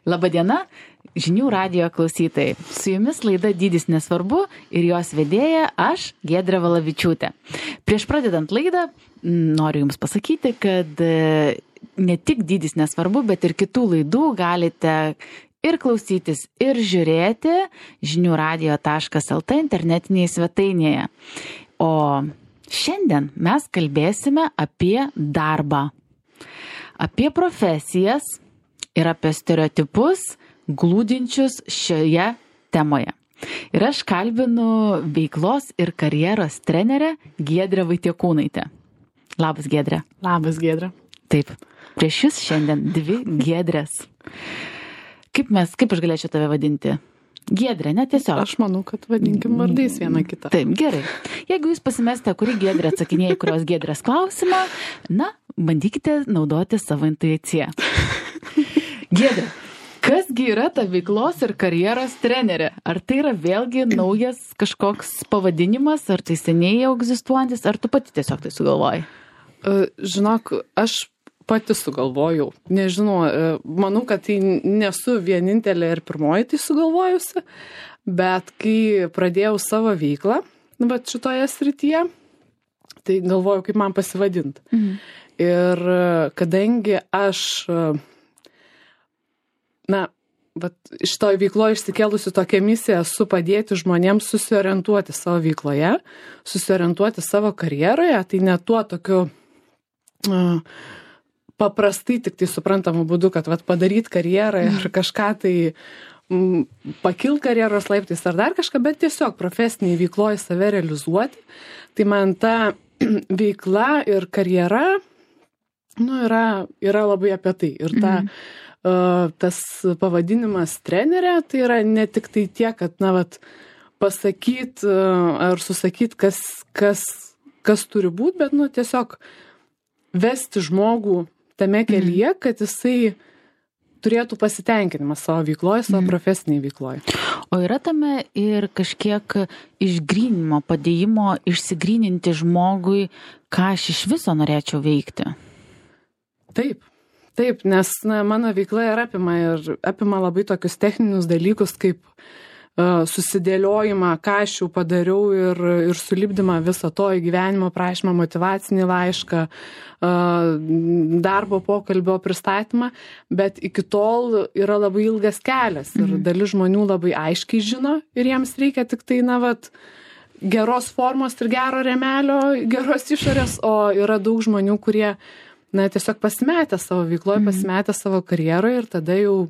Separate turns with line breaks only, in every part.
Labadiena, žinių radijo klausytojai. Su jumis laida Dydis nesvarbu ir jos vedėja aš, Giedrė Valavičiūtė. Prieš pradedant laidą noriu Jums pasakyti, kad ne tik Dydis nesvarbu, bet ir kitų laidų galite ir klausytis, ir žiūrėti žiniųradio.lt internetinėje svetainėje. O šiandien mes kalbėsime apie darbą, apie profesijas ir apie stereotipus glūdinčius šioje temoje. Ir aš kalbinu veiklos ir karjeros trenerę Giedrę Vaitiekūnaitę. Labas, Giedrė.
Labas, Giedrė.
Taip, prieš Jūs šiandien dvi Giedrės. Kaip aš galėčiau tave vadinti? Giedrė, ne tiesiog.
Aš manau, kad vadinkim vardais vieną kitą.
Taip, gerai. Jeigu Jūs pasimestė, kuri Giedrė atsakinėja, kurios Giedrės klausimą, bandykite naudoti savo intuiciją. Giedrė, kasgi yra ta veiklos ir karjeros trenerė? Ar tai yra vėlgi naujas kažkoks pavadinimas, ar tai seniai jau egzistuojantis, ar tu pati tiesiog tai sugalvojai?
Žinok, aš pati sugalvojau. Nežinau, manau, kad tai nesu vienintelė ir pirmoji tai sugalvojusi, bet kai pradėjau savo veiklą, šitoje srityje, tai galvojau, kaip man pasivadinti. Mhm. Ir kadangi aš šitoj veikloje išsikėlusi tokią misiją esu padėti žmonėms susiorientuoti savo veikloje, susiorientuoti savo karjeroje, tai ne tuo tokiu paprastai tik tai suprantamu būdu, kad padaryti karjerą ir kažką tai pakil karjeros laiptais ar dar kažką, bet tiesiog profesiniai veikloje save realizuoti. Tai man ta veikla ir karjera yra labai apie tai. Ir tas pavadinimas trenerė, tai yra ne tik tai tiek, kad pasakyti ar susakyti, kas turi būti, bet tiesiog vesti žmogų tame kelyje, kad jisai turėtų pasitenkinimą savo veikloje, savo profesiniai veikloje.
O yra tame ir kažkiek išgrynimo, padėjimo, išsigryninti žmogui, ką aš iš viso norėčiau veikti?
Taip, nes mano veikla apima labai tokius techninius dalykus, kaip susidėliojimą, ką aš jau padariau ir sulipdymą viso to į gyvenimo prašymą, motyvacinį laišką, darbo pokalbio pristatymą, bet iki tol yra labai ilgas kelias ir dalis žmonių labai aiškiai žino ir jiems reikia tik tai, geros formos ir gero rėmelio, geros išorės, o yra daug žmonių, kurie tiesiog pasimetę savo veikloje, pasimetę savo karjeroje ir tada jau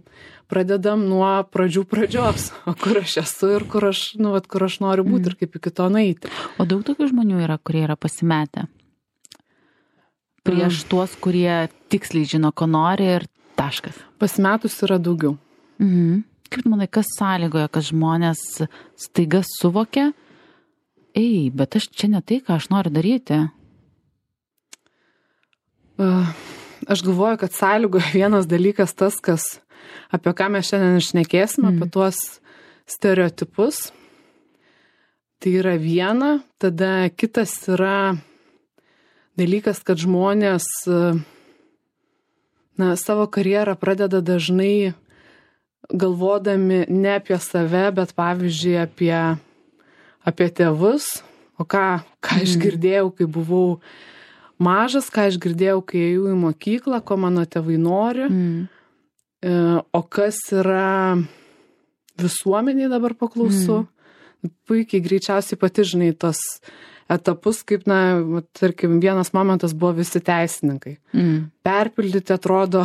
pradedam nuo pradžios, o kur aš esu ir kur aš noriu būti ir kaip iki to nueiti.
O daug tokių žmonių yra, kurie yra pasimetę prieš tuos, kurie tiksliai žino, ko nori ir taškas.
Pasimetus yra daugiau.
Kaip manai, kas sąlygoja, kad žmonės staiga suvokia, bet aš čia ne tai, ką aš noriu daryti?
Aš galvoju, kad sąlygoja vienas dalykas tas, apie ką mes šiandien šnekėsim, apie tuos stereotipus. Tai yra viena, tada kitas yra dalykas, kad žmonės savo karjerą pradeda dažnai galvodami ne apie save, bet pavyzdžiui apie tėvus, o ką aš girdėjau, kai buvau mažas, ką aš girdėjau, kai ėjau į mokyklą, ko mano tėvai nori, o kas yra visuomeniai dabar paklausu. Puikiai greičiausiai pati žinai tos etapus, kaip, tarkim, vienas momentas buvo visi teisininkai. Perpildyti atrodo,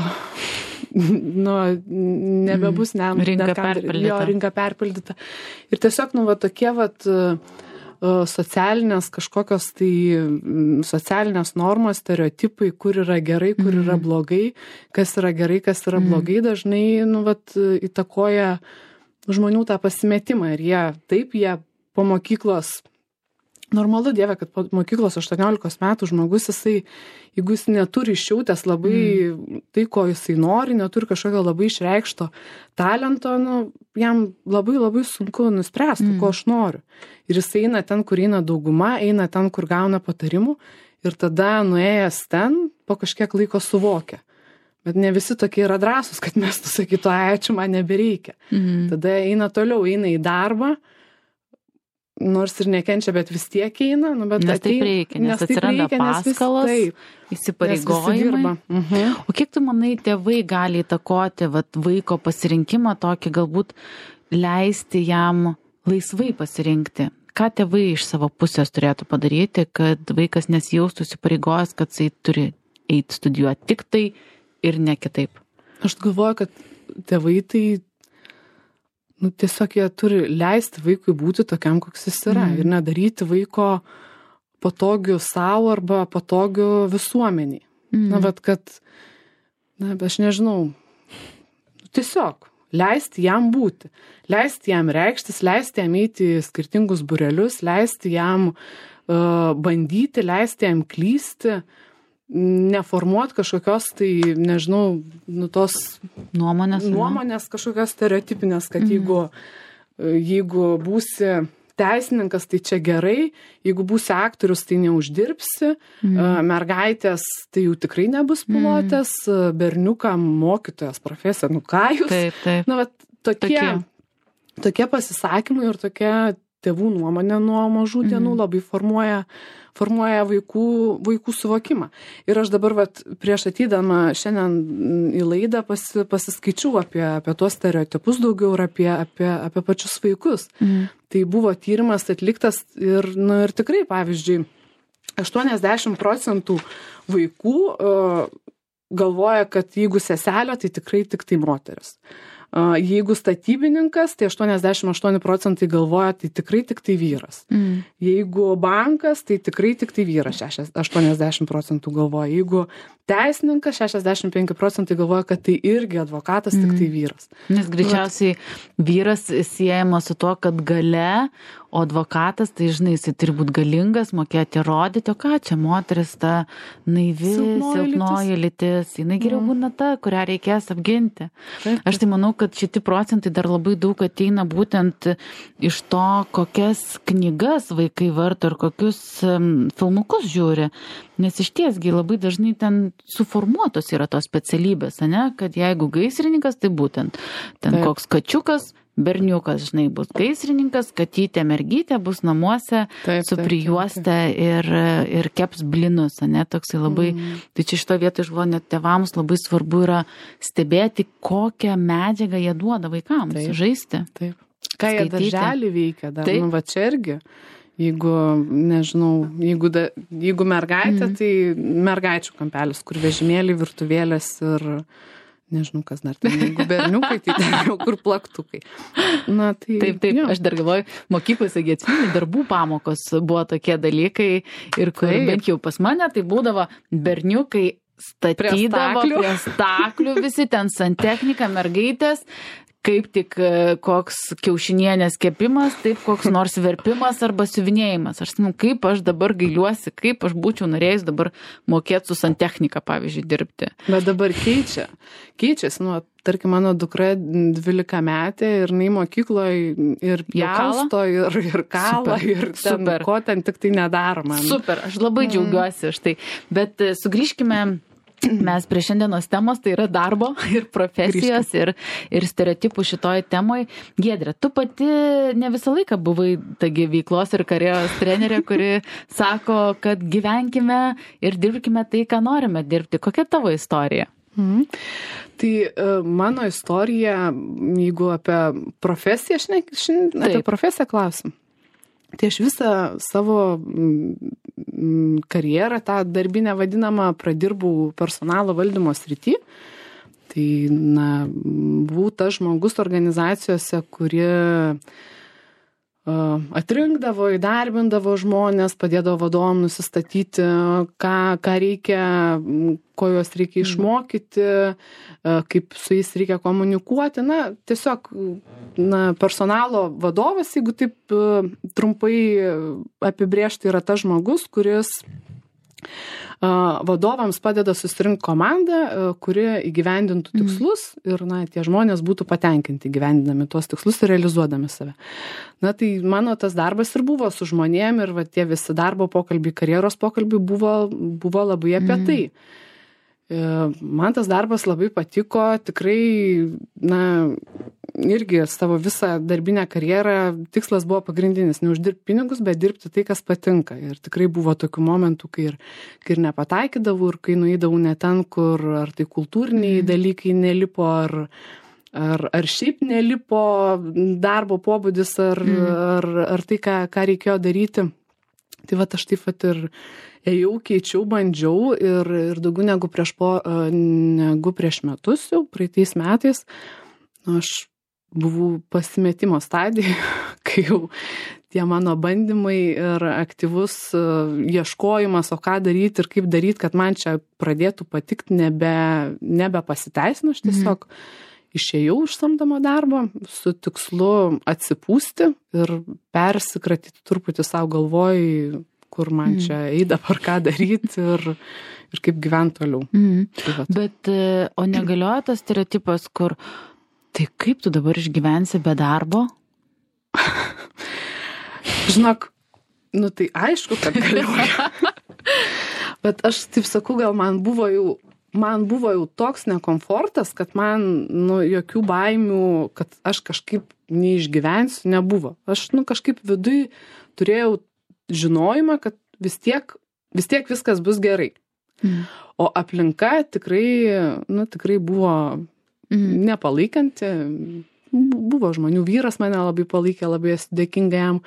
nebebus rinka perpildyta. Ir tiesiog, tokie socialinės kažkokios socialinės normos, stereotipai, kur yra gerai, kur yra blogai, kas yra gerai, kas yra blogai, dažnai įtakoja žmonių tą pasimetimą ir jie po mokyklos, normalu, Dieve, kad po mokyklos 18 metų žmogus, jeigu jis neturi išjautęs labai tai, ko jisai nori, neturi kažkokio labai išreikšto talento, jam labai labai sunku nuspręsti, ko aš noriu. Ir jis eina ten, kur eina dauguma, eina ten, kur gauna patarimų ir tada nuėjęs ten, po kažkiek laiko suvokia. Bet ne visi tokie yra drąsūs, kad mes sakytų, ačiū, man nebereikia. Tada eina toliau, eina į darbą, nors ir nekenčia, bet vis tiek eina. Bet
nes taip reikia, nes atsiranda paskalos, įsipareigojimai. O kiek tu manai, tėvai gali įtakoti vaiko pasirinkimą tokį, galbūt leisti jam laisvai pasirinkti? Ką tėvai iš savo pusės turėtų padaryti, kad vaikas nesijaustų įsipareigojęs, kad jisai turi eiti studijuoti tik tai ir ne kitaip?
Aš galvoju, kad tėvai tai tiesiog jie turi leisti vaikui būti tokiam, koks jis yra ir nedaryti vaiko patogių savo arba patogių visuomeniai. Aš nežinau, tiesiog leisti jam būti, leisti jam reikštis, leisti jam eiti į skirtingus būrelius, leisti jam bandyti, leisti jam klysti, neformuoti kažkokios tai, nežinau, tos nuomonės kažkokios stereotipinės, kad jeigu būsi teisininkas, tai čia gerai, jeigu būsi aktorius, tai neuždirbsi, mergaitės, tai jau tikrai nebus pilotės, berniukam mokytojas profesija, ką jūs?
Taip.
Tokie pasisakymai ir tokie tėvų nuomonė nuo mažų dienų labai formuoja vaikų suvokimą. Ir aš dabar prieš ateidama šiandien į laidą pasiskaičiau apie tuos stereotipus daugiau ir apie pačius vaikus. Tai buvo tyrimas atliktas ir tikrai, pavyzdžiui, 80% vaikų galvoja, kad jeigu seselė, tai tikrai tik tai moteris. Jeigu statybininkas, tai 88% galvoja, tai tikrai tik tai vyras. Jeigu bankas, tai tikrai tik tai vyras, 80% galvoja. Jeigu teisininkas, 65% galvoja, kad tai irgi advokatas, tik tai vyras.
Nes greičiausiai vyras siejama su tuo, kad gale, o advokatas, tai žinai, jisai turi būti galingas, mokėti rodyti, o ką čia moteris ta naivi, silpnoji lytis, jinai geriau būna ta, kurią reikės apginti. Aš tai manau, kad šitie procentai dar labai daug ateina būtent iš to, kokias knygas vaikai varto ir kokius filmukus žiūri. Nes iš tiesgi labai dažnai ten suformuotos yra tos specialybės, ne? Kad jeigu gaisrininkas, tai būtent ten koks kačiukas, berniukas, žinai, bus gaisrininkas, katytė, mergytė bus namuose su prijuoste ir keps blinus, ne, toksai labai, tai čia šito vietoj iš net tėvams labai svarbu yra stebėti, kokią medžiagą jie duoda vaikams žaisti.
Taip. Ką jie darželį veikia, dar, va čia irgi. Jeigu, nežinau, jeigu mergaitė, tai mergaičių kampelis, kur vežimėliai, virtuvėlės ir nežinau, kas dar ten, jeigu berniukai, tai ten jau kur plaktukai.
Taip, aš dar galvoju, mokyklose atsimenu, darbų pamokos buvo tokie dalykai ir kur bent jau pas mane, tai būdavo berniukai statydavo prie staklių, visi ten santechnika, mergaitės, kaip tik koks kiaušinienės kepimas, taip koks nors verpimas arba siuvinėjimas. Aš žinau, kaip aš dabar gailiuosi, kaip aš būčiau norėjus dabar mokėti su santechnika, pavyzdžiui, dirbti.
Bet dabar keičiasi, tarkim, mano dukra 12 metė ir jinai mokykloje ir jausto, ir kala, ir ten, ko ten tik tai nedaro man.
Super, aš labai džiaugiuosi už tai. Bet sugrįžkime. Mes prie šiandienos temos, tai yra darbo ir profesijos ir stereotipų šitoj temoj. Giedre, tu pati ne visą laiką buvai tagi veiklos ir karjeros trenerė, kuri sako, kad gyvenkime ir dirbkime tai, ką norime dirbti. Kokia tavo istorija?
Tai mano istorija, jeigu apie profesiją, apie profesiją klausim. Tai aš visą savo karjerą, tą darbinę vadinamą, pradirbau personalo valdymo srity. Tai, buvau tas žmogus organizacijose, kuri atrinkdavo, įdarbindavo žmonės, padėdavo vadovam nusistatyti, ką reikia, ko juos reikia išmokyti, kaip su jais reikia komunikuoti. Tiesiog personalo vadovas, jeigu taip trumpai apibrėžti, yra tas žmogus, kuris vadovams padeda susirinkti komandą, kuri įgyvendintų tikslus ir tie žmonės būtų patenkinti gyvendinami tuos tikslus ir realizuodami save. Tai mano tas darbas ir buvo su žmonėm ir tie visi darbo pokalbiai, karjeros pokalbiai buvo labai apie tai. Man tas darbas labai patiko, tikrai, irgi savo visą darbinę karjerą tikslas buvo pagrindinis, neuždirbti pinigus, bet dirbti tai, kas patinka. Ir tikrai buvo tokių momentų, kai ir nepataikydavau, ir kai nueidavau ne ten, kur ar tai kultūriniai dalykai nelipo, ar šiaip nelipo darbo pobūdis, ar tai, ką reikėjo daryti. Tai aš taip ir ėjau, keičiau, bandžiau ir daugiau negu prieš metus, jau praeitais metais, aš buvau pasimetimo stadijoje, kai jau tie mano bandymai ir aktyvus ieškojimas, o ką daryti ir kaip daryti, kad man čia pradėtų patikti, nebepasiteisino. Aš tiesiog išėjau iš samdomo darbo su tikslu atsipūsti ir persikratyti truputį savo galvoj, kur man čia dabar ką daryti ir kaip gyventi toliau.
Bet, o negalioja tas stereotipas, kur tai kaip tu dabar išgyvensi be darbo?
Žinok, tai aišku, kad galioja. Bet aš taip sakau, gal man buvo jau toks nekomfortas, kad man jokių baimių, kad aš kažkaip neišgyvensiu, nebuvo. Aš kažkaip viduj turėjau žinojimą, kad vis tiek viskas bus gerai. O aplinka tikrai buvo nepalaikanti. Buvo žmonių, vyras mane labai palaikė, labai esu dėkinga jam,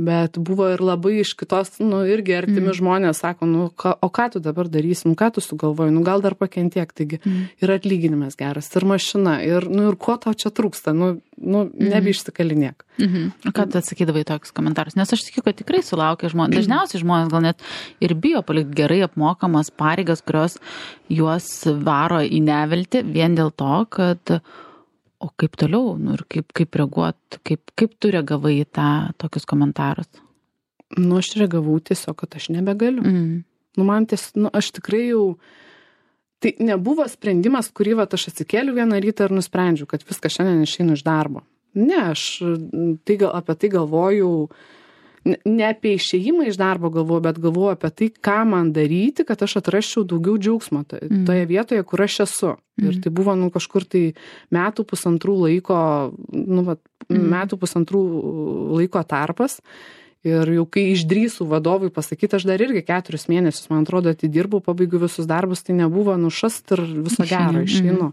bet buvo ir labai iš kitos, irgi artimi žmonės sako, o ką tu dabar darysi, ką tu sugalvoji, gal dar pakentiek, taigi ir atlyginimas geras, ir mašina, ir ko tau čia trūksta, nebeišsikalinėk.
O ką tu atsakydavai tokius komentarus? Nes aš tikiu, kad tikrai sulaukia žmonės, dažniausiai žmonės gal net ir bijo palikti gerai apmokamas pareigas, kurios juos varo į neviltį vien dėl to, kad o kaip toliau, ir kaip reaguot, kaip tu reagavai į tokius komentarus?
Aš reagavau tiesiog, kad aš nebegaliu. Man aš tikrai jau, tai nebuvo sprendimas, kurį aš atsikėliu vieną rytą ir nusprendžiu, kad viską šiandien išeinu iš darbo. Ne, aš apie tai galvoju, ne apie išėjimą iš darbo galvoju, bet galvoju apie tai, ką man daryti, kad aš atrasčiau daugiau džiaugsmo toje vietoje, kur aš esu. Ir tai buvo kažkur tai metų pusantrų laiko tarpas. Ir jau kai išdrįsų vadovui pasakyti, aš dar irgi 4 mėnesius, man atrodo, atidirbau, pabaigiu visus darbus, tai nebuvo nušast ir viso gero išeinu.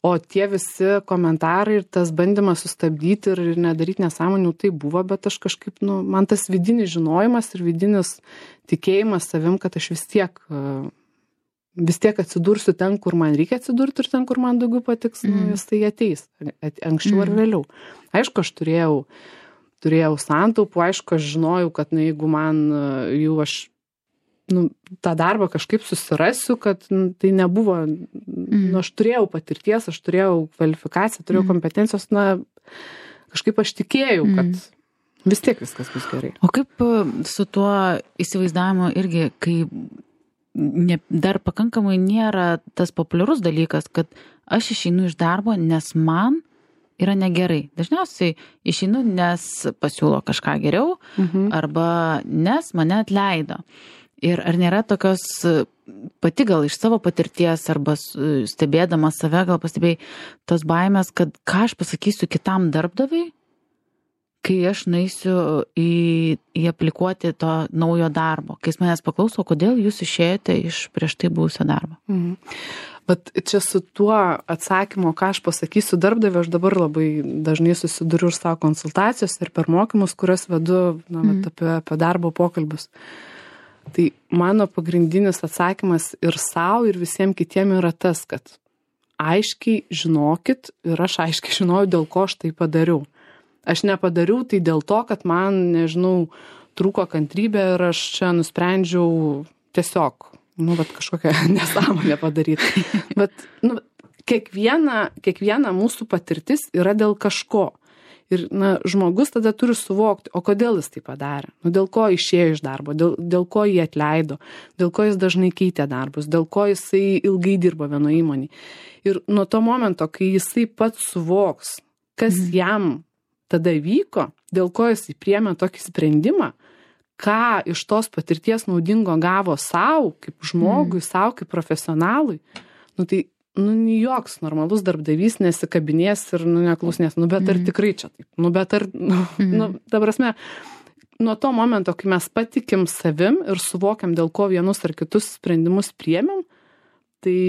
O tie visi komentarai ir tas bandymas sustabdyti ir nedaryti nesąmonių, tai buvo, bet aš kažkaip, man tas vidinis žinojimas ir vidinis tikėjimas savim, kad aš vis tiek atsidursiu ten, kur man reikia atsidurti ir ten, kur man daugiau patiks, jis tai ateis, anksčiau ar vėliau. Aišku, aš turėjau santaupų, aišku, aš žinojau, kad jeigu man jau aš tą darbą kažkaip susirasiu, kad tai nebuvo, aš turėjau patirties, aš turėjau kvalifikaciją, turėjau kompetencijos, kažkaip aš tikėjau, kad vis tiek viskas bus gerai.
O kaip su tuo įsivaizdavimu irgi, kai dar pakankamai nėra tas populiarus dalykas, kad aš išeinu iš darbo, nes man yra negerai. Dažniausiai išeinu, nes pasiūlo kažką geriau, arba nes mane atleido. Ir ar nėra tokios, pati gal iš savo patirties arba stebėdama save, gal pastebėjai tos baimės, kad ką aš pasakysiu kitam darbdaviui, kai aš nueisiu į aplikuoti to naujo darbo. Kai jis manęs paklauso, kodėl jūs išėjote iš prieš tai buvusio darbo?
Bet čia su tuo atsakymu, ką aš pasakysiu darbdaviui, aš dabar labai dažnai susiduriu ir savo konsultacijos ir per mokymus, kurias vedu apie darbo pokalbius. Tai mano pagrindinis atsakymas ir savo, ir visiems kitiem yra tas, kad aiškiai žinokit, ir aš aiškiai žinojau, dėl ko aš tai padariau. Aš nepadariau tai dėl to, kad man, trūko kantrybė ir aš čia nusprendžiau tiesiog, kažkokią nesąmonę padaryti. Bet, kiekviena mūsų patirtis yra dėl kažko. Ir žmogus tada turi suvokti, o kodėl jis tai padarė, dėl ko išėjo iš darbo, dėl ko jį atleido, dėl ko jis dažnai keitė darbus, dėl ko jisai ilgai dirbo vienoje įmonėje. Ir nuo to momento, kai jisai pats suvoks, kas jam tada vyko, dėl ko jisai priėmė tokį sprendimą, ką iš tos patirties naudingo gavo savo, kaip žmogui, savo, kaip profesionalui, tai joks normalus darbdavys nesikabinės ir neklausnės, bet ar tikrai čia taip, bet ar, ta prasme, nuo to momento, kai mes patikim savim ir suvokiam, dėl ko vienus ar kitus sprendimus priėmėm, tai,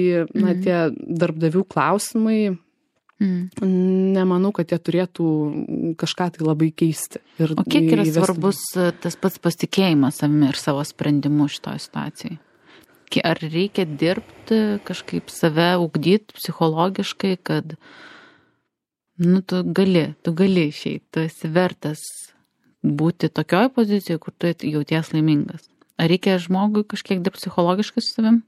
tie darbdavių klausimai, nemanau, kad jie turėtų kažką tai labai keisti.
O kiek yra svarbus tas pats pasitikėjimas savimi ir savo sprendimu šitoje situacijoje? Ar reikia dirbti, kažkaip save ugdyti psichologiškai, kad tu gali išeiti, tu esi vertas būti tokioj pozicijoje, kur tu jauties laimingas? Ar reikia žmogui kažkiek dirbti psichologiškai su savim?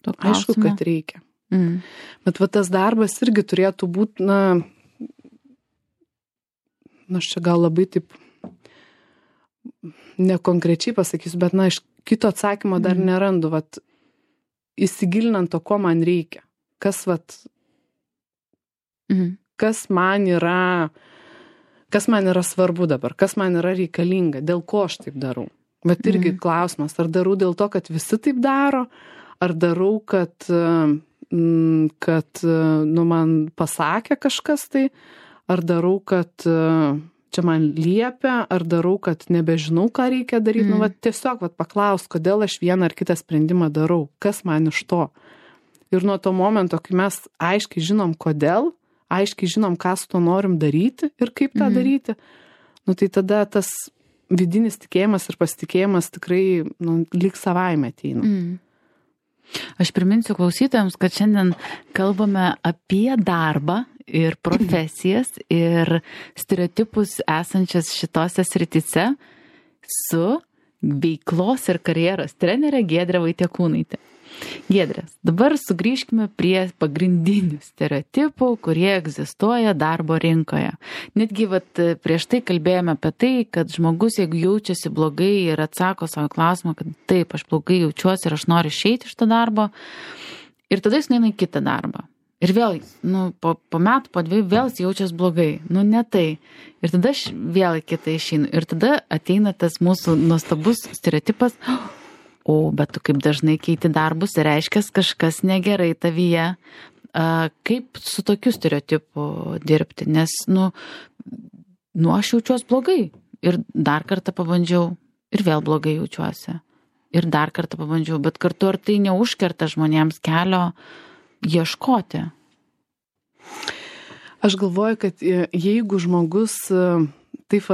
Aišku, kad reikia. Bet tas darbas irgi turėtų būti, aš čia gal labai taip nekonkrečiai pasakysiu, bet iš kito atsakymo dar nerandu, įsigilinant to, ko man reikia. Kas man yra svarbu dabar, kas man yra reikalinga, dėl ko aš taip darau. Bet irgi klausimas, ar darau dėl to, kad visi taip daro, ar darau, kad man pasakė kažkas tai, ar darau, kad čia man liepia, ar darau, kad nebežinau, ką reikia daryti. Tiesiog paklaus, kodėl aš vieną ar kitą sprendimą darau, kas man iš to. Ir nuo to momento, kai mes aiškiai žinom, kodėl, aiškiai žinom, ką su to norim daryti ir kaip tą daryti, tai tada tas vidinis tikėjimas ir pasitikėjimas tikrai lyg savaime ateina.
Aš priminsiu klausytojams, kad šiandien kalbame apie darbą ir profesijas ir stereotipus esančias šitose srityse su veiklos ir karjeros trenerė Giedrė Vaitiekūnaitė. Giedrė, dabar sugrįžkime prie pagrindinių stereotipų, kurie egzistuoja darbo rinkoje. Netgi prieš tai kalbėjome apie tai, kad žmogus, jeigu jaučiasi blogai ir atsako savo klausimą, kad taip, aš blogai jaučiuosi ir aš noriu išeiti iš to darbo, ir tada jis neina į kitą darbą. Ir vėl, po metų, po 2 vėl jis jaučiasi blogai. Ne tai. Ir tada aš vėl į kitą išeinu. Ir tada ateina tas mūsų nuostabus stereotipas, bet tu kaip dažnai keiti darbus, reiškia kažkas negerai tavyje. Kaip su tokiu stereotipu dirbti? Nes, aš jaučiuosi blogai. Ir dar kartą pabandžiau ir vėl blogai jaučiuosi. Ir dar kartą pabandžiau, bet kartu ar tai neužkerta žmonėms kelio ieškoti?
Aš galvoju, kad jeigu žmogus taip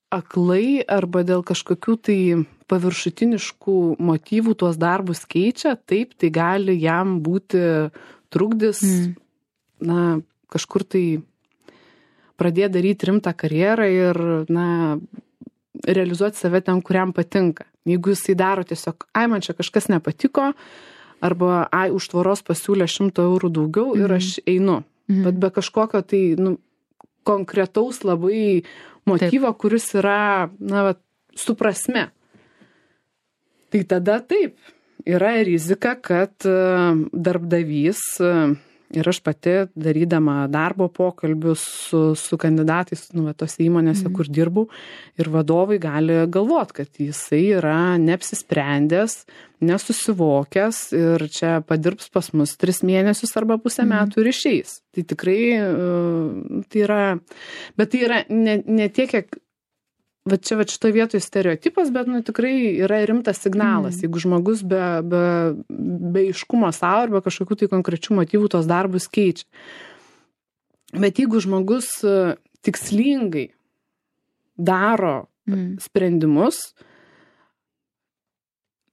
aklai arba dėl kažkokių tai paviršutiniškų motyvų tuos darbus keičia, taip, tai gali jam būti trukdis, kažkur tai pradėti daryti rimtą karjerą ir, realizuoti save ten, kuriam patinka. Jeigu jisai daro tiesiog, man čia kažkas nepatiko, arba, už tvoros pasiūlė 100 eurų daugiau ir aš einu. Bet be kažkokio tai, konkretaus labai motyvo, kuris yra, su prasme. Tai tada taip, yra rizika, kad darbdavys, ir aš pati darydama darbo pokalbius su kandidatais, tose įmonėse, kur dirbau, ir vadovai gali galvoti, kad jisai yra neapsisprendęs, nesusivokęs ir čia padirbs pas mus 3 mėnesius arba pusę metų ir išeis. Tai tikrai, tai yra, bet tai yra ne tiek, kiek čia šitoje vietoje stereotipas, bet tikrai yra rimtas signalas. Jeigu žmogus be aiškumo savo arba kažkokių tai konkrečių motyvų tos darbus keičia. Bet jeigu žmogus tikslingai daro sprendimus,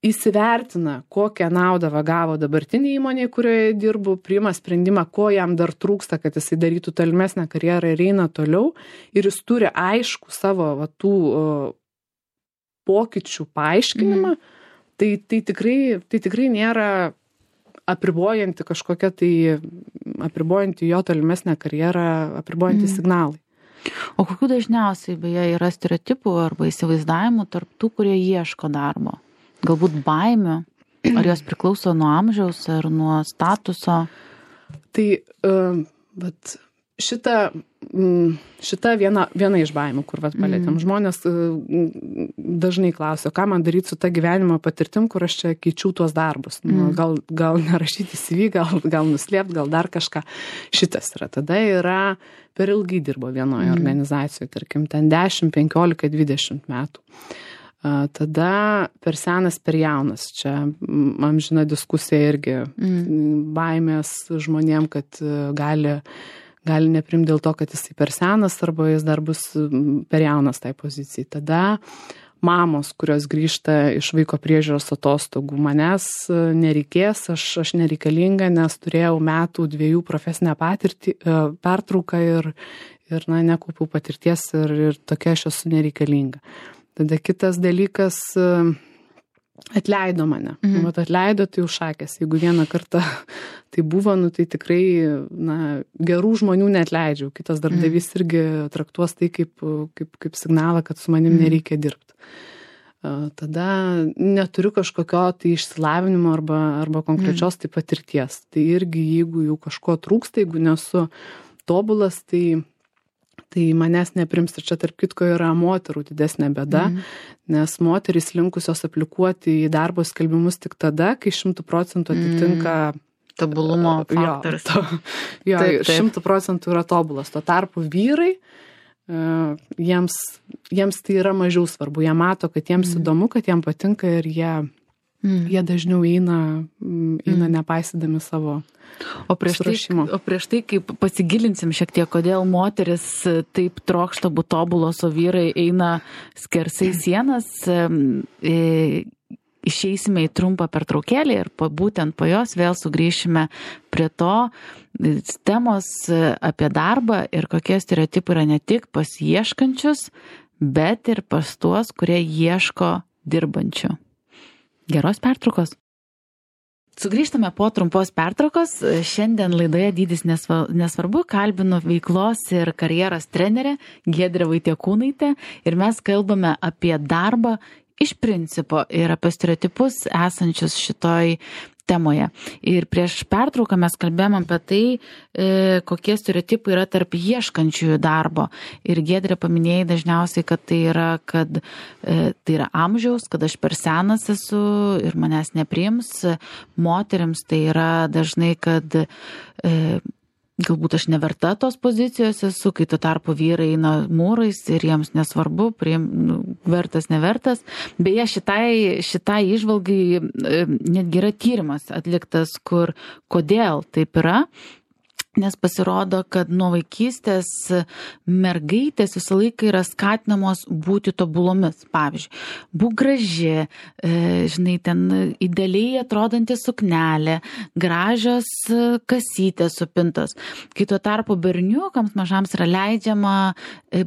įsivertina, kokią naudą gavo dabartinė įmonė, kurioje dirbu, priima sprendimą, ko jam dar trūksta, kad jisai darytų tolimesnę karjerą ir eina toliau, ir jis turi aišku savo tų pokyčių paaiškinimą, tai tikrai nėra apribojanti kažkokia tai, apribojanti jo tolimesnę karjerą, apribojanti signalai.
O kokių dažniausiai beje yra stereotipų arba įsivaizdavimų tarp tų, kurie ieško darbo? Galbūt baimių, ar jos priklauso nuo amžiaus ar nuo statuso?
Tai šita viena iš baimių, kur vat palėtėm. Žmonės dažnai klausia, ką man daryti su ta gyvenimo patirtim, kur aš čia keičiau tuos darbus. Gal nerašyti CV, gal nuslėpti, gal dar kažką. Šitas yra. Tada yra per ilgai dirbo vienoje organizacijoje, tarkim, ten 10, 15, 20 metų. Tada per senas, per jaunas. Čia amžina diskusija irgi baimės žmonėm, kad gali neprimti dėl to, kad jisai per senas arba jis dar bus per jaunas tai pozicijai. Tada mamos, kurios grįžta iš vaiko priežiūros atostogų, manęs nereikės, aš nereikalinga, nes turėjau metų 2 profesinę pertrauką ir nekaupiau patirties ir tokia aš esu nereikalinga. Tada kitas dalykas, atleido mane. Vat atleido, tai užšakės. Jeigu vieną kartą tai buvo, tai tikrai gerų žmonių neatleidžiau. Kitas darbdavys irgi traktuos tai kaip signalą, kad su manim nereikia dirbti. Tada neturiu kažkokio tai išsilavinimo arba konkrečios tai patirties. Tai irgi, jeigu jau kažko trūksta, jeigu nesu tobulas, tai manęs neprims. Ir čia tarp kitko yra moterų didesnė bėda, nes moterys linkusios aplikuoti į darbo skelbimus tik tada, kai 100% atitinka
tobulumo faktorius.
Jo, 100% yra tobulas. Tuo tarpu vyrai, jiems tai yra mažiau svarbu. Jie mato, kad jiems įdomu, kad jiems patinka ir jie dažniau eina nepaisydami savo pasiruošimo.
O prieš tai, kaip pasigilinsim šiek tiek, kodėl moteris taip trokšta būt tobulos, o vyrai eina skersai sienas, išeisime į trumpą pertraukėlį ir būtent po jos vėl sugrįšime prie to temos apie darbą ir kokie stereotipai yra ne tik pas ieškančius, bet ir pas tuos, kurie ieško dirbančių. Geros pertraukos. Sugrįžtame po trumpos pertraukos. Šiandien laidoje Dydis nesvarbu kalbinu veiklos ir karjeros trenerę Giedrę Vaitiekūnaitę ir mes kalbame apie darbą iš principo ir apie stereotipus esančius šitoj temoje. Ir prieš pertrauką mes kalbėjom apie tai, kokie stereotipai yra tarp ieškančiųjų darbo. Ir Giedrė paminėjai dažniausiai, kad tai yra amžiaus, kad aš per senas esu ir manęs nepriims. Moterims tai yra dažnai, kad galbūt aš neverta tos pozicijos esu, kai tuo tarpu vyrai eina mūrais ir jiems nesvarbu, vertas, nevertas. Beje, šitai įžvalgai netgi yra tyrimas atliktas, kodėl taip yra. Nes pasirodo, kad nuo vaikystės mergaitės visą laiką yra skatinamos būti tobulomis. Pavyzdžiui, būk graži, ten idealiai atrodanti suknelė, gražios kasytės supintos. Kai tuo tarpu berniukams mažams yra leidžiama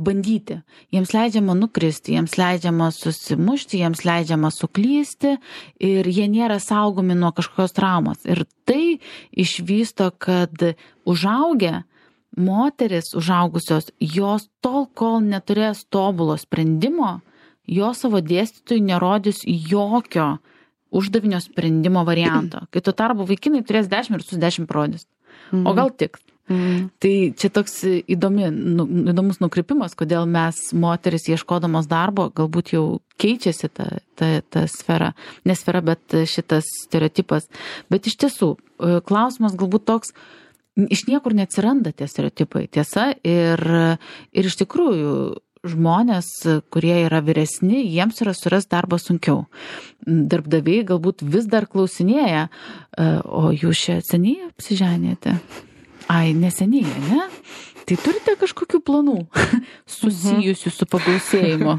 bandyti. Jiems leidžiama nukristi, jiems leidžiama susimušti, jiems leidžiama suklysti ir jie nėra saugomi nuo kažkokios traumos. Ir tai išvysto, kad užaugę moteris užaugusios, jos tol, kol neturės tobulo sprendimo, jos savo dėstytojui nerodys jokio uždavinio sprendimo varianto. Kai tuo tarpu vaikinai turės 10 ir su 10 parodys. O gal tik. Tai čia toks įdomus nukrypimas, kodėl mes moteris ieškodamos darbo galbūt jau keičiasi ta sfera. Ne sfera, bet šitas stereotipas. Bet iš tiesų, klausimas galbūt toks, iš niekur neatsiranda tie stereotipai, tiesa, ir iš tikrųjų žmonės, kurie yra vyresni, jiems yra surasti darbą sunkiau. Darbdaviai galbūt vis dar klausinėja, o jūs čia seniai apsiženėte? Ai, neseniai, ne? Tai turite kažkokių planų susijusių su pagausėjimu?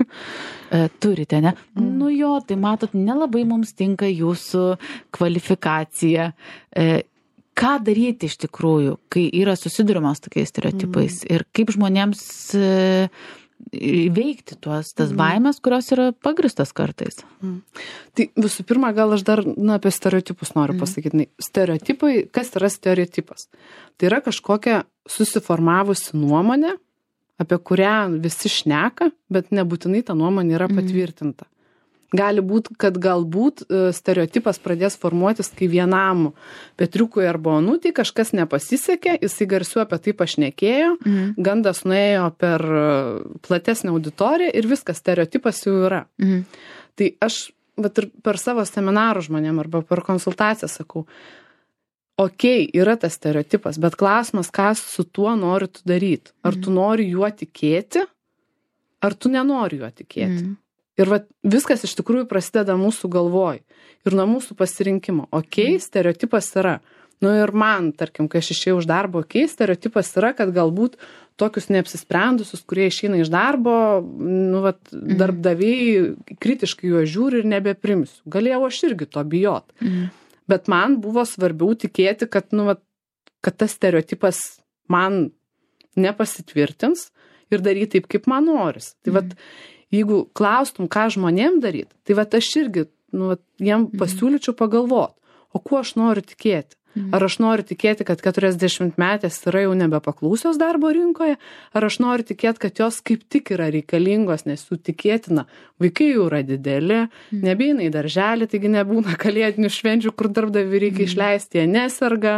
Turite, ne? Nu jo, tai matot, nelabai mums tinka jūsų kvalifikacija. Ką daryti iš tikrųjų, kai yra susidurimas tokiais stereotipais ir kaip žmonėms įveikti tas baimės, kurios yra pagristos kartais?
Tai visų pirma, gal aš dar apie stereotipus noriu pasakyti. Stereotipai, kas yra stereotipas? Tai yra kažkokia susiformavusi nuomonė, apie kurią visi šneka, bet nebūtinai ta nuomonė yra patvirtinta. Gali būti, kad galbūt stereotipas pradės formuotis, kai vienam Petriukui arba Onutei kažkas nepasisekė, jisai garsiu apie tai pašnekėjo, gandas nuėjo per platesnę auditoriją ir viskas, stereotipas jau yra. Tai aš vat, ir per savo seminarų žmonėm arba per konsultaciją sakau, okei, yra tas stereotipas, bet klausimas, ką su tuo nori tu daryti. Ar tu nori juo tikėti, ar tu nenori juo tikėti. Ir vat, viskas iš tikrųjų prasideda mūsų galvoj ir nuo mūsų pasirinkimo. Okei, stereotipas yra. Nu ir man, tarkim, kai aš išėjau iš darbo, okei, stereotipas yra, kad galbūt tokius neapsisprendusius, kurie išeina iš darbo, nu vat, darbdaviai kritiškai juos žiūri ir nebeprimsiu. Galėjau aš irgi to bijot. Bet man buvo svarbiau tikėti, kad, nu, vat, kad tas stereotipas man nepasitvirtins ir daryti taip, kaip man noris. Tai vat, jeigu klaustum, ką žmonėm daryti, tai vat aš irgi, nu, vat, jiem pasiūlyčiau pagalvot, o kuo aš noriu tikėti. Ar aš noriu tikėti, kad 40-metės yra jau nebepaklausios darbo rinkoje, ar aš noriu tikėti, kad jos kaip tik yra reikalingos, nes jų tikėtina, vaikai jau yra dideli, nebeina į darželį, taigi nebūna kalėdinių švenčių, kur darbdaviui reikia išleisti, jie neserga,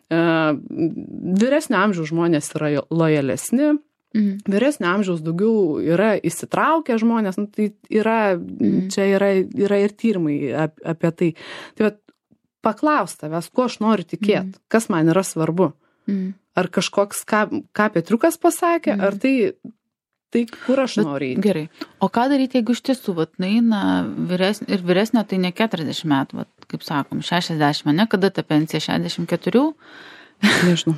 vyresnio amžiaus žmonės yra lojalesni, vyresnio amžiaus daugiau yra įsitraukę žmonės, nu, tai yra, čia yra ir tyrimai apie tai. Tai vat, paklaust tavęs, kuo aš noriu tikėti, kas man yra svarbu. Ar kažkoks, ką Petriukas pasakė, ar tai kur aš noriu.
Gerai. O ką daryti, jeigu iš tiesų, vat, naina vyresnio, tai ne 40 metų, vat, kaip sakom, 60, ne, kada ta pensija 64?
Nežinau.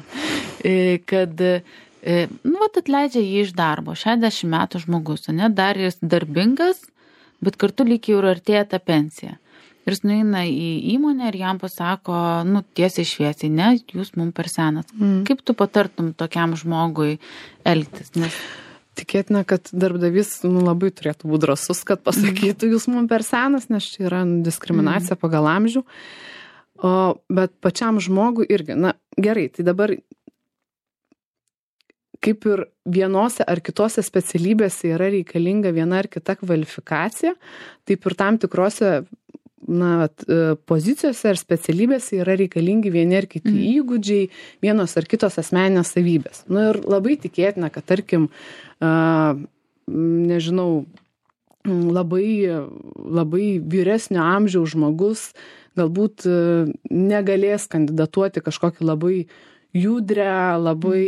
Kad, nu, vat, atleidžia jį iš darbo, 60 metų žmogus, ne, dar jis darbingas, bet kartu lyg jau ir artėja ta pensija. Ir jis nueina į įmonę ir jam pasako, nu, tiesiai šviesiai, ne, jūs mums per senas. Kaip tu patartum tokiam žmogui elgtis? Nes...
Tikėtina, kad darbdavys labai turėtų būti drąsus, kad pasakytų, jūs mums per senas, nes čia yra diskriminacija pagal amžių. Bet pačiam žmogui irgi, na, gerai, tai dabar kaip ir vienose ar kitose specialybėse yra reikalinga viena ar kita kvalifikacija, taip ir tam tikrose pozicijose ar specialybėse yra reikalingi vieni ar kiti įgūdžiai, vienos ar kitos asmeninės savybės. Nu ir labai tikėtina, kad tarkim, nežinau, labai vyresnio amžiaus žmogus galbūt negalės kandidatuoti kažkokį labai judrę, labai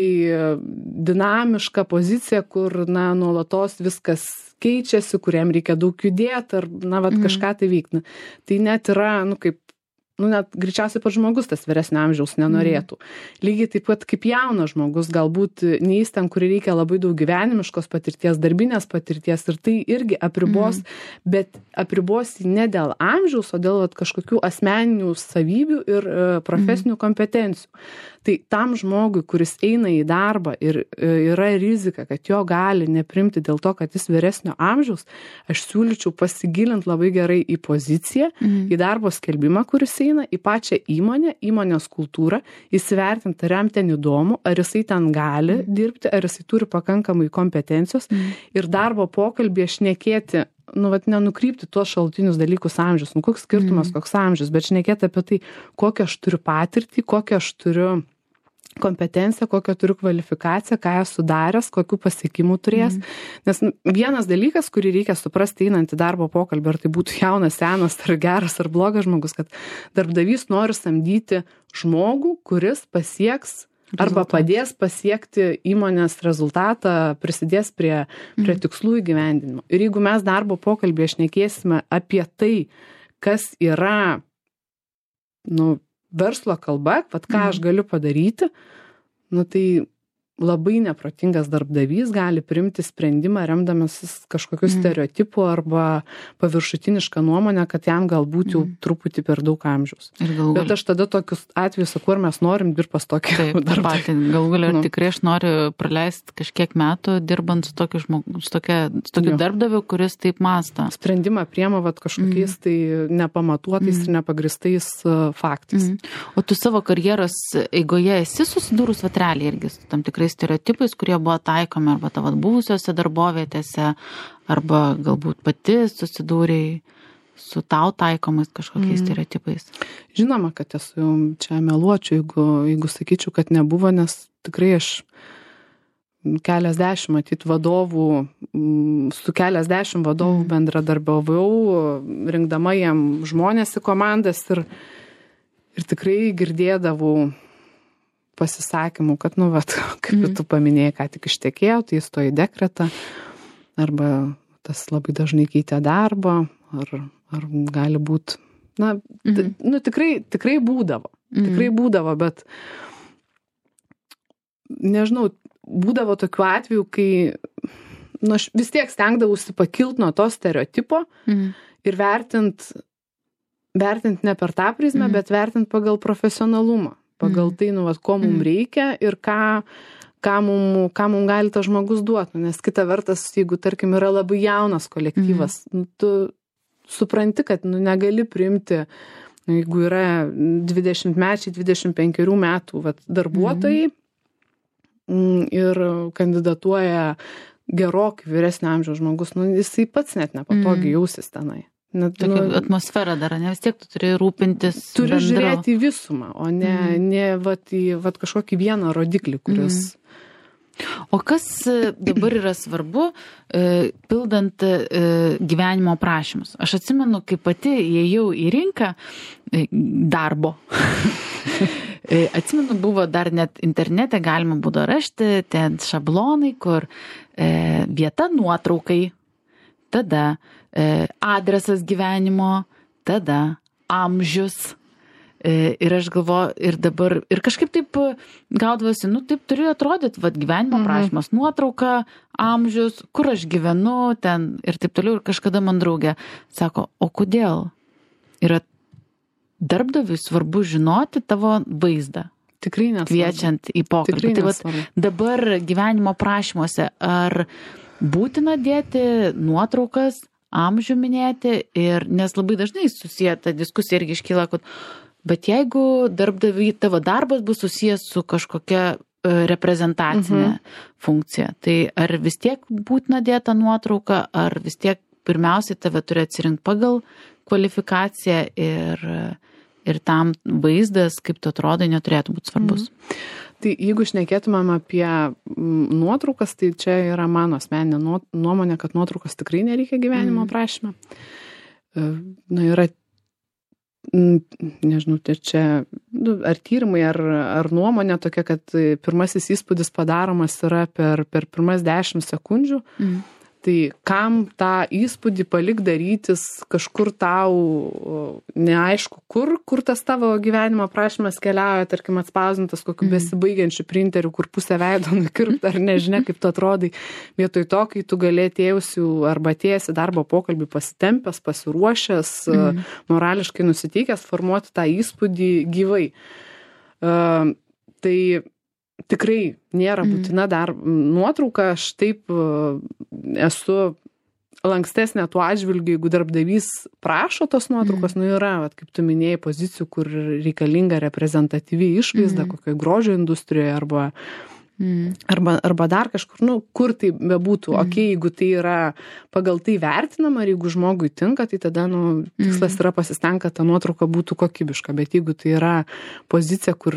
dinamišką poziciją, kur, nuolatos viskas keičiasi, kuriam reikia daug judėti ar, kažką tai vykti. Tai net yra, net greičiausiai pats žmogus tas vyresnio amžiaus nenorėtų. Lygiai taip pat kaip jaunas žmogus, galbūt neįs ten, kur reikia labai daug gyvenimiškos patirties, darbinės patirties ir tai irgi apribos, bet apribos ne dėl amžiaus, o dėl kažkokių asmeninių savybių ir profesinių kompetencijų. Tai tam žmogui, kuris eina į darbą ir yra rizika, kad jo gali neprimti dėl to, kad jis vyresnio amžiaus, aš siūlyčiau pasigilinti labai gerai į poziciją, į darbo skelbimą, kuris eina, į pačią įmonę, įmonės kultūrą, įsivertinti, ar jam ten įdomu, ar jisai ten gali dirbti, ar jisai turi pakankamai kompetencijos ir darbo pokalbėje šnekėti, nenukrypti tuos šalutinius dalykus amžius, koks skirtumas, koks amžius, bet šnekėti apie tai, kokią aš turiu patirtį, kokią aš turiu kompetenciją, kokią turiu kvalifikaciją, ką esu daręs, kokių pasiekimų turės. Nes vienas dalykas, kurį reikia suprasti einant į darbo pokalbį, ar tai būtų jaunas, senas, ar geras, ar blogas žmogus, kad darbdavys nori samdyti žmogų, kuris pasieks arba padės pasiekti įmonės rezultatą, prisidės prie tikslų įgyvendinimo. Ir jeigu mes darbo pokalbėje šnekėsime apie tai, kas yra, verslo kalba, ką aš galiu padaryti, tai labai neprotingas darbdavys gali priimti sprendimą remdamasis kažkokiu stereotipu arba paviršutinišką nuomonę, kad jam galbūt jau truputį per daug amžiaus. Bet aš tada tokius atvejus sakau, ar mes norim dirbti pas tokį darbdavį.
Galų galia, tikrai aš noriu praleisti kažkiek metų dirbant su tokiu žmogu, su tokiu darbdaviu, kuris taip mąsto.
Sprendimą priema kažkokiais tai nepamatuotais ir nepagristais faktais.
O tu savo karjeros eigoje esi susidūrus realiai irgi su tam tikrais stereotipais, kurie buvo taikomi arba tavo buvusiose darbovietėse, arba galbūt pati susidūrei su tau taikomais kažkokiais stereotipais?
Žinoma, kad esu čia meluočiau, jeigu sakyčiau, kad nebuvo, nes tikrai aš keliasdešimt matyt vadovų, su keliasdešimt vadovų bendradarbiavau, rinkdama jam žmonės į komandas ir tikrai girdėdavau pasisakymų, kad, kaip tu paminėjai, ką tik ištekėjo, tai jis to į dekretą, arba tas labai dažnai keitė darbą, ar gali būti, tikrai būdavo. Tikrai būdavo, bet nežinau, būdavo tokių atvejų, kai aš vis tiek stengdavausi pakilt nuo to stereotipo ir vertint ne per tą prizmę, bet vertint pagal profesionalumą, pagal tai, ko mums reikia ir ką mum gali tas žmogus duoti. Nes kita vertas, jeigu, tarkim, yra labai jaunas kolektyvas, tu supranti, kad negali priimti, jeigu yra 20-mečiai, 25 metų darbuotojai, ir kandidatuoja gerokai vyresnio amžiaus žmogus, jisai pats net nepatogiai jausis tenai.
Tokia atmosfera dar, ne, vis tiek tu turi rūpintis
turi žiūrėti į visumą, o ne į kažkokį vieną rodiklį, kuris...
O kas dabar yra svarbu, pildant gyvenimo aprašymus? Aš atsimenu, kai pati įėjau į rinką darbo. Atsimenu, buvo dar net internete galima būdavo rasti ten šablonai, kur vieta nuotraukai, tada adresas gyvenimo, tada amžius. Ir aš galvoju, ir dabar, ir kažkaip taip gaudavosi, taip turėjo atrodyti, gyvenimo aprašymas, nuotrauka, amžius, kur aš gyvenu, ten ir taip toliau. Ir kažkada man draugė sako, o kodėl yra darbdaviui svarbu žinoti tavo vaizdą?
Tikrai nesvarbu.
Kviečiant į pokalbį. Tai dabar gyvenimo aprašymuose, ar būtina dėti nuotraukas, amžių minėti, nes labai dažnai susiję ta diskusija irgi iškyla, kad bet jeigu darbdaviui tavo darbas bus susijęs su kažkokia reprezentacinė funkcija, tai ar vis tiek būtina dėta nuotrauka, ar vis tiek pirmiausiai tave turi atsirinkti pagal kvalifikaciją ir tam vaizdas, kaip tu atrodai, neturėtų būti svarbus?
Tai jeigu šnekėtumėm apie nuotraukas, tai čia yra mano asmeninė nuomonė, kad nuotraukas tikrai nereikia gyvenimo aprašyme. Yra nežinau, tai čia ar tyrimai, ar nuomonė tokia, kad pirmasis įspūdis padaromas yra per pirmas 10 sekundžių. Tai kam tą įspūdį palik darytis kažkur tau neaišku, kur tas tavo gyvenimo aprašymas keliauja, tarkim atspausdintas kokiu besibaigiančiu printeriu, kur pusę veido nukirpta, ar nežinia, kaip tu atrodai, vietoj to, kai tu galėtėjusių arba atėjęs į darbo pokalbį pasitempęs, pasiruošęs, morališkai nusiteikęs formuoti tą įspūdį gyvai. Tai tikrai nėra būtina dar nuotrauka, aš taip esu lankstesnė tuo atžvilgiu, jeigu darbdavys prašo tos nuotraukos, yra, kaip tu minėjai, pozicijų, kur reikalinga reprezentatyvi išvaizda, kokioje grožio industrijoje arba dar kažkur, kur tai bebūtų. Jeigu tai yra pagal tai vertinama, ir jeigu žmogui tinka, tai tada tikslas yra pasistengti, kad ta nuotrauka būtų kokybiška, bet jeigu tai yra pozicija, kur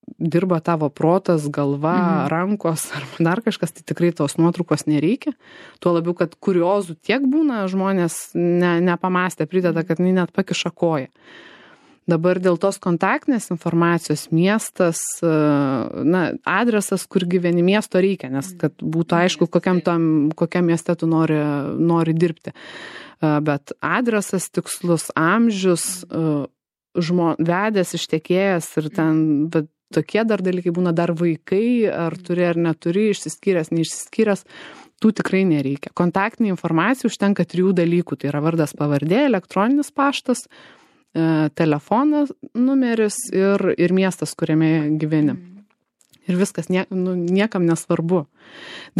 dirba tavo protas, galva, rankos ar dar kažkas, tai tikrai tos nuotraukos nereikia. Tuo labiau, kad kuriozų tiek būna, žmonės nepamastė, prideda, kad net pakiša koją. Dabar dėl tos kontaktinės informacijos miestas, adresas, kur gyveni, miesto reikia, nes kad būtų aišku, kokiam mieste tu nori dirbti. Bet adresas tikslus, amžius, vedęs, ištekėjęs ir ten, bet tokie dar dalykai būna, dar vaikai, ar turi ar neturi, išsiskyręs, neišsiskyręs, tų tikrai nereikia. Kontaktinė informacija užtenka 3 dalykų, tai yra vardas, pavardė, elektroninis paštas, telefonas, numeris ir miestas, kuriame gyveni. Ir viskas niekam nesvarbu.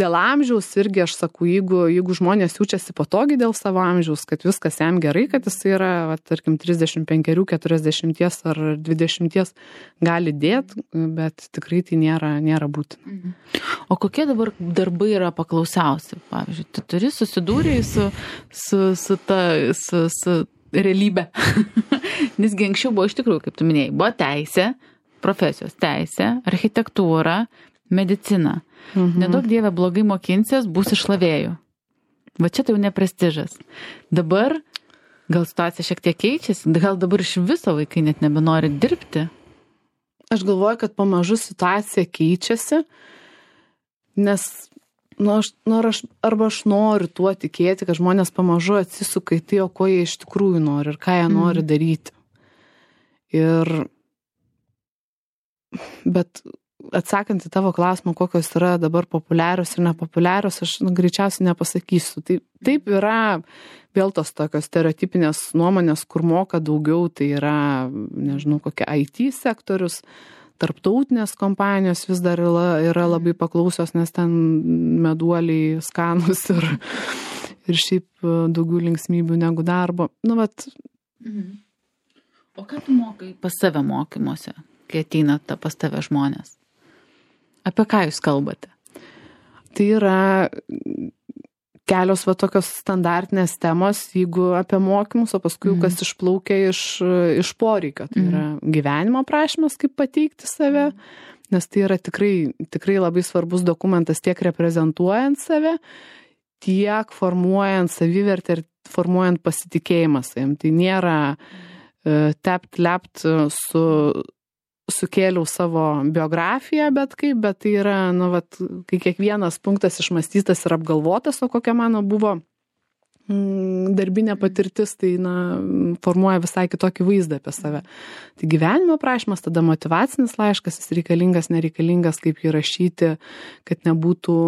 Dėl amžiaus irgi aš sakau, jeigu žmonės jaučiasi patogiai dėl savo amžiaus, kad viskas jam gerai, kad jis yra, tarkim, 35, 40 ar 20 gali dėti, bet tikrai tai nėra būtina.
O kokie dabar darbai yra paklausiausi? Pavyzdžiui, tu turi susidūrę su realybę. Nesgi anksčiau buvo iš tikrųjų, kaip tu minėjai, buvo teisė, profesijos teisė, architektūra, medicina. Nedaug dievė blogai mokinsies, bus išlavėjų. Va čia tai jau ne prestižas. Dabar gal situacija šiek tiek keičiasi, gal dabar iš viso vaikai net nebenori dirbti.
Aš galvoju, kad pamažu situacija keičiasi, nes arba aš noriu tuo tikėti, kad žmonės pamažu atsisuka į tai, o ko jie iš tikrųjų nori ir ką jie nori daryti. Bet atsakant į tavo klausimą, kokios yra dabar populiarios ir nepopuliarios, aš greičiausiai nepasakysiu. Taip yra vėl tos tokios stereotipinės nuomonės, kur moka daugiau, tai yra, nežinau, kokia IT sektorius, tarptautinės kompanijos vis dar yra labai paklausios, nes ten meduoliai skanus ir šiaip daugiau linksmybių negu darbo.
O ką tu mokai pas save mokymuose, kai ateina pas tave žmonės? Apie ką jūs kalbate?
Tai yra kelios tokios standartinės temos, jeigu apie mokymus, o paskui kas išplaukia iš poreikio. Tai yra gyvenimo aprašymas, kaip pateikti save, nes tai yra tikrai labai svarbus dokumentas tiek reprezentuojant save, tiek formuojant savivertę ir formuojant pasitikėjimą savim. Tai nėra lept sukėliau savo biografiją, bet tai yra, kai kiekvienas punktas išmąstytas ir apgalvotas, o kokia mano buvo darbinė patirtis, tai formuoja visai kitokį vaizdą apie save. Tai gyvenimo aprašymas, tada motyvacinis laiškas, jis reikalingas, nereikalingas, kaip jį rašyti, kad nebūtų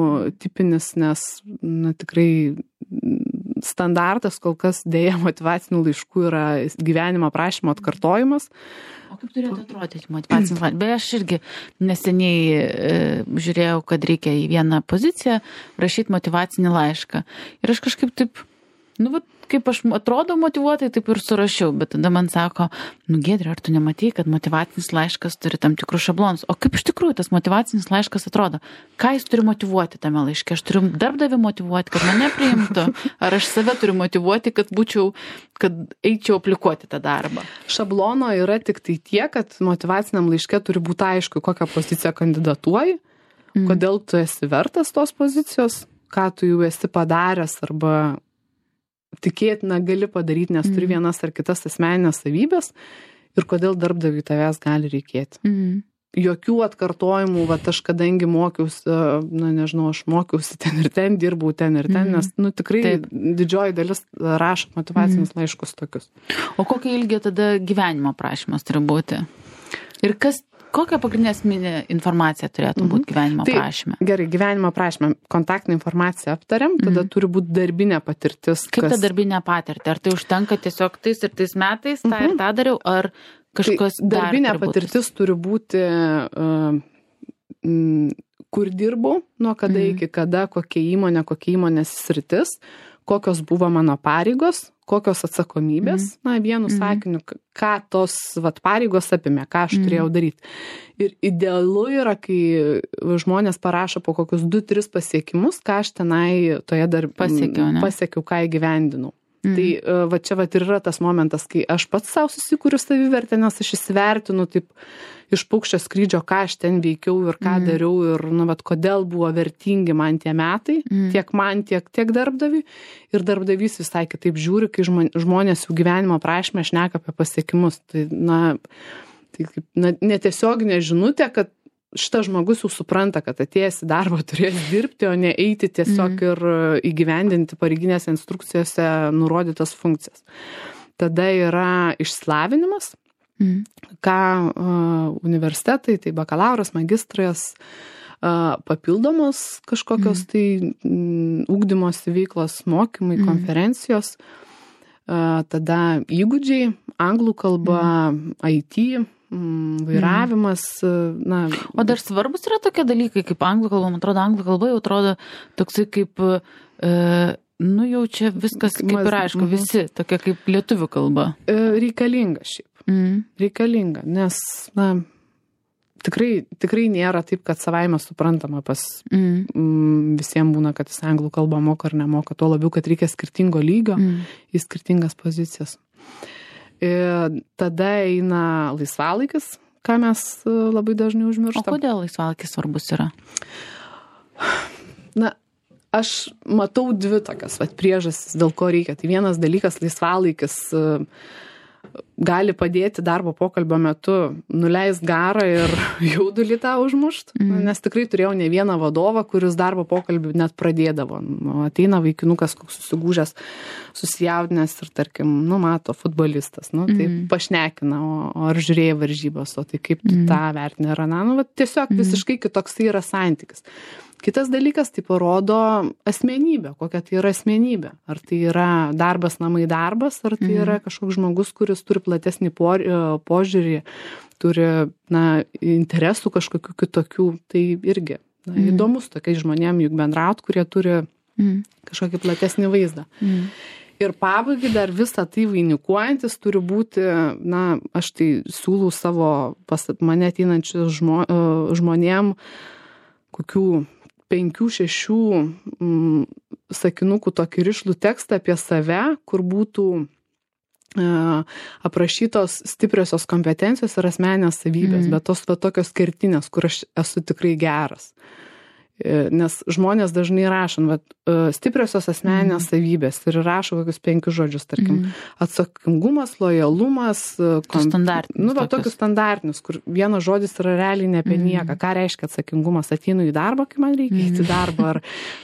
tipinis, nes tikrai standartas kol kas dėja motyvacinių laiškų yra gyvenimo aprašymo atkartojimas.
O kaip turėtų atrodyti motyvacinis laiškas? Beje, aš irgi neseniai žiūrėjau, kad reikia į vieną poziciją rašyti motyvacinį laišką. Ir aš kažkaip taip, kaip aš atrodau motyvuotai, taip ir surašiau, bet tada man sako, Giedrė, ar tu nematei, kad motyvacinis laiškas turi tam tikrus šablonus? O kaip iš tikrųjų tas motyvacinis laiškas atrodo? Ką jis turi motyvuoti tame laiške? Aš turiu darbdavį motyvuoti, kad mane priimtų? Ar aš save turiu motyvuoti, kad eičiau aplikuoti tą darbą?
Šablono yra tik tai tiek, kad motyvaciniam laiške turi būti aišku, kokią poziciją kandidatuoji, kodėl tu esi vertas tos pozicijos, ką tu jau esi padaręs arba tikėtina gali padaryti, nes turi vienas ar kitas asmeninės savybės ir kodėl darbdaviui tavęs gali reikėti. Jokių atkartojimų, aš kadangi mokiausi, aš mokiausi ten ir ten, dirbau ten ir ten, nes tikrai didžioji dalis rašo motyvacinius laiškus tokius.
O kokio ilgio tada gyvenimo aprašymas turi būti? Ir kokia pagrindinė esminė informacija turėtų būti gyvenimo aprašyme?
Gerai, gyvenimo aprašyme kontaktinę informaciją aptariam, tada turi būti darbinė patirtis.
Kaip ta darbinė patirtį? Ar tai užtenka tiesiog tais ir tais metais, tą ir tą dariau, ar kažkas
darbinė patirtis turi būti, kur dirbau, nuo kada iki kada, kokia įmonės sritis, kokios buvo mano pareigos, kokios atsakomybės, vienu sakiniu, ką tos pareigos apimė, ką aš turėjau daryti. Ir idealu yra, kai žmonės parašo po kokius 2-3 pasiekimus, ką aš tenai toje pasiekiau, ką įgyvendinau. Tai čia ir yra tas momentas, kai aš pats savo susikuriu savivertę, nes aš įsivertinu taip iš paukščio skrydžio, ką aš ten veikiau ir ką dariau ir kodėl buvo vertingi man tie metai, tiek man, tiek darbdaviui. Ir darbdavys visai kitaip žiūri, kai žmonės jų gyvenimo aprašyme šneka apie pasiekimus. Tai netiesioginė žinutė, kad šitas žmogus jau supranta, kad atėjęs į darbą turės dirbti, o ne eiti tiesiog ir įgyvendinti pareiginėse instrukcijose nurodytas funkcijas. Tada yra išsilavinimas, ką universitetai, tai bakalauras, magistras, papildomos kažkokios tai ugdymosi veiklos, mokymai, konferencijos, tada įgūdžiai, anglų kalba, IT, vairavimas.
O dar svarbus yra tokie dalykai, kaip anglų kalba. Man atrodo, anglų kalba jau atrodo toksai kaip, jau čia viskas kaip ir aišku, visi, tokia kaip lietuvių kalba.
Reikalinga šiaip. Reikalinga, nes tikrai nėra taip, kad savaime suprantama pas visiems būna, kad jis anglų kalbą moka ar nemoka, tuo labiau, kad reikia skirtingo lygio į skirtingas pozicijas. Tada eina laisvalaikis, ką mes labai dažnai užmirštam.
O kodėl laisvalaikis svarbus yra?
Na, aš matau dvi tokias priežastis, dėl ko reikia. Tai vienas dalykas, laisvalaikis gali padėti darbo pokalbio metu nuleist garą ir jaudulį tą užmušt, nes tikrai turėjau ne vieną vadovą, kuris darbo pokalbį net pradėdavo. Ateina vaikinukas koks susigūžęs, susijaudinęs ir tarkim, mato futbolistas, tai pašnekina, o ar žiūrėjai varžybos, o tai kaip tu tą vertini ar aną, tiesiog visiškai kitoks tai yra santykis. Kitas dalykas, tai parodo asmenybę, kokia tai yra asmenybė. Ar tai yra darbas, namai darbas, ar tai yra kažkoks žmogus, kuris turi platesnį požiūrį, turi interesų kažkokių kitokių. Tai irgi įdomus tokiais žmonėm juk bendraut, kurie turi kažkokį platesnį vaizdą. Ir pabaigai dar visą tai vainikuojantis turi būti, aš tai siūlau savo pas mane ateinančių žmonėm kokių 5-6 sakinukų tokį rišlų tekstą apie save, kur būtų aprašytos stipriosios kompetencijos ir asmeninės savybės, bet tos tokios kertinės, kur aš esu tikrai geras. Nes žmonės dažnai rašo, stipriosios asmeninės savybės ir rašo kokius 5 žodžius, tarkim, atsakingumas, lojalumas, tokius standartinius, kur vienas žodis yra realiai ne apie nieką. Ką reiškia atsakingumas? Ateinu į darbą, kai man reikia eiti į darbą,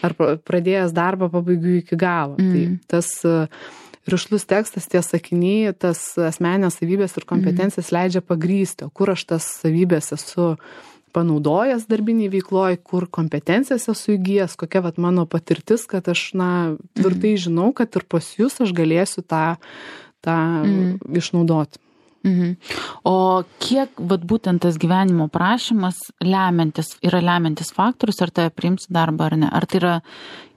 ar pradėjęs darbą pabaigiu iki galo. Tai tas rišlus tekstas, tie sakiniai, tas asmeninės savybės ir kompetencijas leidžia pagrysti, kur aš tas savybės esu panaudojęs darbiniai veikloj, kur kompetencijas esu įgijęs, kokia mano patirtis, kad aš tvirtai žinau, kad ir pas jūs aš galėsiu tą išnaudoti.
O kiek būtent tas gyvenimo prašymas yra lemiantis faktorius, ar tave priims į darbą ar ne? Ar tai yra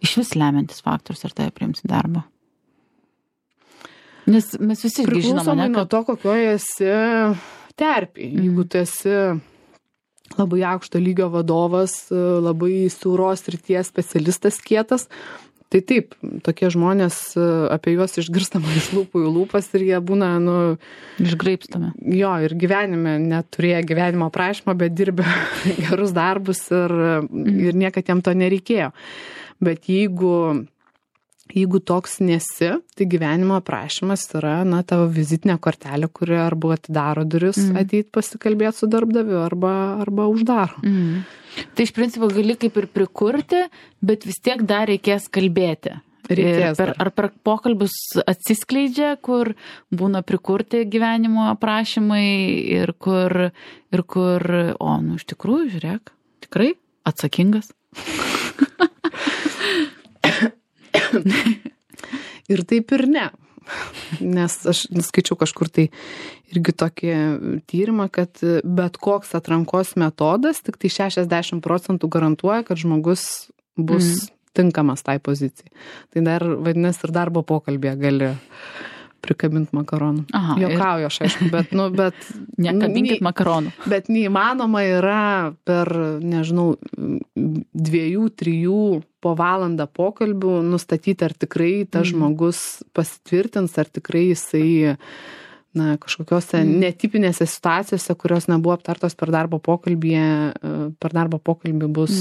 iš vis lemiantis faktorius, ar tave priims į darbą? Nes mes visi žinome,
priklausomai nuo to, kokioje esi terpėje. Jeigu tu esi labai aukšto lygio vadovas, labai siauros srities specialistas kietas, tai taip, tokie žmonės, apie juos išgirstama iš lūpų į lūpas ir jie būna,
išgraibstami.
Jo, ir gyvenime neturėjo gyvenimo prašymą, bet dirbė gerus darbus ir niekad jam to nereikėjo. Bet jeigu toks nesi, tai gyvenimo aprašymas yra, tavo vizitinė kortelė, kuri arba atidaro duris ateit pasikalbėti su darbdaviu, arba uždaro.
Tai iš principo gali kaip ir prikurti, bet vis tiek dar reikės kalbėti. Ar per pokalbius atsiskleidžia, kur būna prikurti gyvenimo aprašymai ir kur, iš tikrųjų, žiūrėk, tikrai atsakingas.
Ir taip ir ne. Nes aš skaičiau kažkur tai irgi tokį tyrimą, kad bet koks atrankos metodas tik tai 60% garantuoja, kad žmogus bus tinkamas tai pozicijai. Tai dar vadinasi ir darbo pokalbėje gali prikabinti makaronų. Juokauju aš, aišku, bet
nekabinkit makaronų.
Bet neįmanoma yra per, 2-3 po valandą pokalbių nustatyti, ar tikrai tas žmogus pasitvirtins, ar tikrai jisai kažkokiose netipinėse situacijose, kurios nebuvo aptartos per darbo pokalbį bus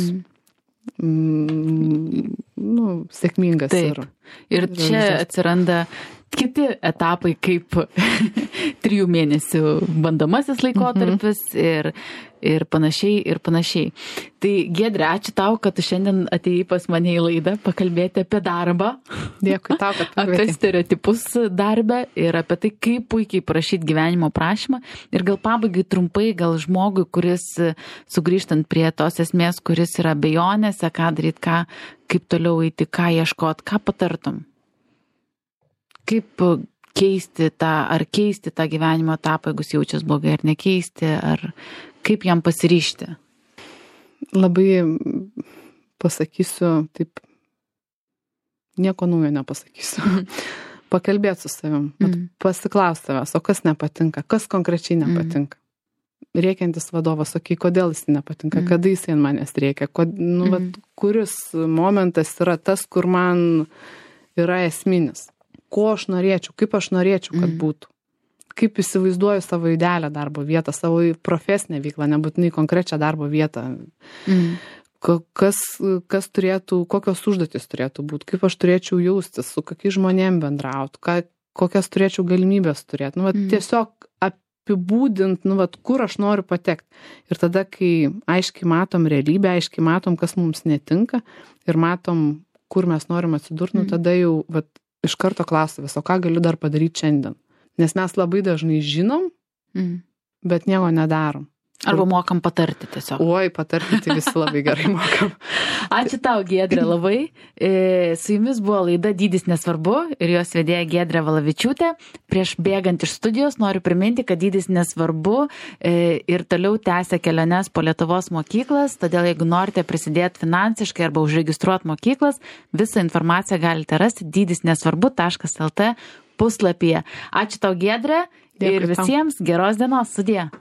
sėkmingas.
Taip. Ir čia atsiranda kiti etapai, kaip 3 mėnesių bandomasis laikotarpis ir panašiai. Tai Giedre, ačiū tau, kad tu šiandien atėjai pas mane į laidą pakalbėti apie darbą.
Dėkui tau, kad pakvietei.
Apie stereotipus darbe ir apie tai, kaip puikiai parašyti gyvenimo prašymą. Ir gal pabaigai trumpai, gal žmogui, kuris sugrįžtant prie tos esmės, kuris yra abejonėse, ką daryti, kaip toliau eiti, ką ieškoti, ką patartum? Kaip keisti tą gyvenimo etapą, jeigu jaučiasi blogai, ar nekeisti, ar kaip jam pasiryžti?
Labai pasakysiu, taip, nieko naujo nepasakysiu. Pakalbėti su savim, pasiklausti savęs, o kas nepatinka, kas konkrečiai nepatinka. Rėkiantis vadovas, kodėl jis nepatinka, kada jis ant manęs rėkia, kuris momentas yra tas, kur man yra esminis. ko aš norėčiau, kaip aš norėčiau, kad būtų. Kaip įsivaizduoju savo idealią darbo vietą, savo profesinę veiklą, nebūtinai konkrečią darbo vietą. Kas turėtų, kokios užduotis turėtų būti, kaip aš turėčiau jaustis, su kokiais žmonėm bendrauti, kokias turėčiau galimybės turėti. Tiesiog apibūdint, kur aš noriu patekti. Ir tada, kai aiškiai matom realybę, aiškiai matom, kas mums netinka ir matom, kur mes norim atsidurti, tada jau iš karto klausavęs, o ką galiu dar padaryti šiandien. Nes mes labai dažnai žinom, bet nieko nedarom.
Arba mokam patarti tiesiog.
Oi, patarti tai visi labai gerai mokam.
Ačiū tau, Giedrė, labai. Su jumis buvo laida Dydis nesvarbu ir jos vedėja Giedrė Valavičiūtė. Prieš bėgant iš studijos noriu priminti, kad Dydis nesvarbu ir toliau tęsia keliones po Lietuvos mokyklas, todėl jeigu norite prisidėti finansiškai arba užregistruoti mokyklas, visą informaciją galite rasti dydisnesvarbu.lt puslapyje. Ačiū tau, Giedrė, ir visiems geros dienos, sudie.